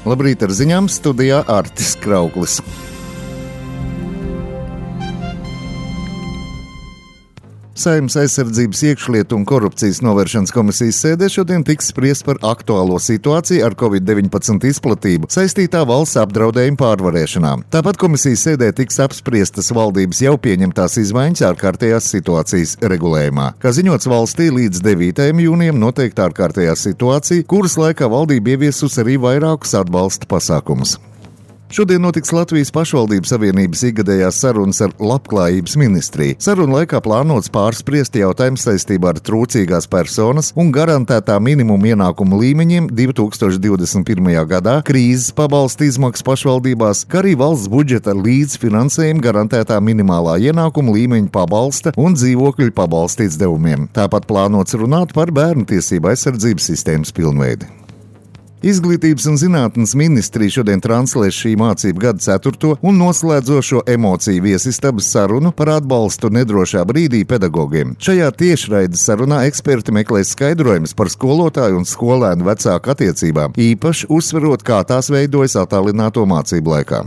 Labrīt, ar ziņām studijā Artis Krauklis. Saeimas aizsardzības, iekšlietu un korupcijas novēršanas komisijas sēdē šodien tiks spriest par aktuālo situāciju ar Covid-19 izplatību saistītā valsts apdraudējuma pārvarēšanā. Tāpat komisijas sēdē tiks apspriestas valdības jau pieņemtās izmaiņas ārkārtējās situācijas regulējumā. Kā ziņots, valstī līdz 9. jūnijam noteikta ārkārtējā situācija, kuras laikā valdība ieviesus arī vairākus atbalsta pasākumus. Šodien notiks Latvijas pašvaldības savienības ikgadējās sarunas ar Labklājības ministriju. Sarunu laikā plānots pārspriest jautājumu saistībā ar trūcīgās personas un garantētā minimuma ienākumu līmeņiem 2021. gadā, krīzes pabalsta izmaksas pašvaldībās, kā arī valsts budžeta līdzfinansējuma garantētā minimālā ienākuma līmeņa pabalsta un dzīvokļu pabalsta izdevumiem. Tāpat plānots runāt par bērnu tiesību aizsardzības sistēmas pilnveidi. Izglītības un zinātnes ministrija šodien translēs šī mācību gada 4. un noslēdzošo emociju viesistabas sarunu par atbalstu nedrošā brīdī pedagogiem. Šajā tiešraides sarunā eksperti meklēs skaidrojumus par skolotāju un skolēnu vecāku attiecībām, īpaši uzsverot, kā tās veidojas attālināto mācību laikā.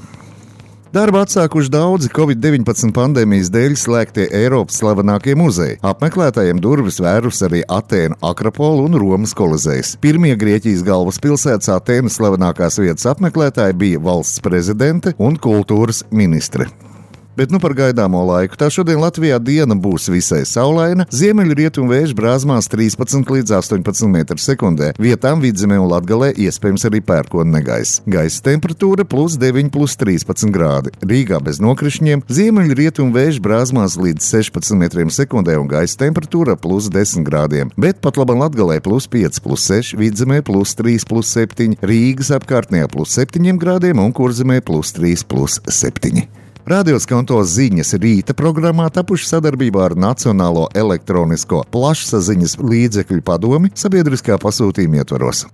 Darbu atsākuši daudzi Covid-19 pandēmijas dēļ slēgtie Eiropas slavenākie muzeji. Apmeklētājiem durvis vērus arī Atēnu Akropola un Romas Kolizejs. Pirmie Grieķijas galvaspilsētas Atēnas slavenākās vietas apmeklētāji bija valsts prezidente un kultūras ministre. Bet par gaidāmo laiku. Tā šodien Latvijā diena būs visai saulaina, ziemeļrietumu vēju brāzmās 13 līdz 18 m/sekundē. Vietām Vidzemē un Latgalē iespējams arī pērkona negaiss. Gaisa temperatūra +9, +13 grādi. Rīgā bez nokrišņiem, ziemeļrietumu vēju brāzmās līdz 16 m/sekundē un gaisa temperatūra +10 grādiem. Bet pat labam Latgalē +5, +6, Vidzemē +3, +7, Rīgas apkārtnē +7 grādiem un Kurzemē +3, +7. Radio Skanto ziņas rīta programmā tapuši sadarbībā ar Nacionālo elektronisko plašsaziņas līdzekļu padomi sabiedriskā pasūtījuma ietvaros.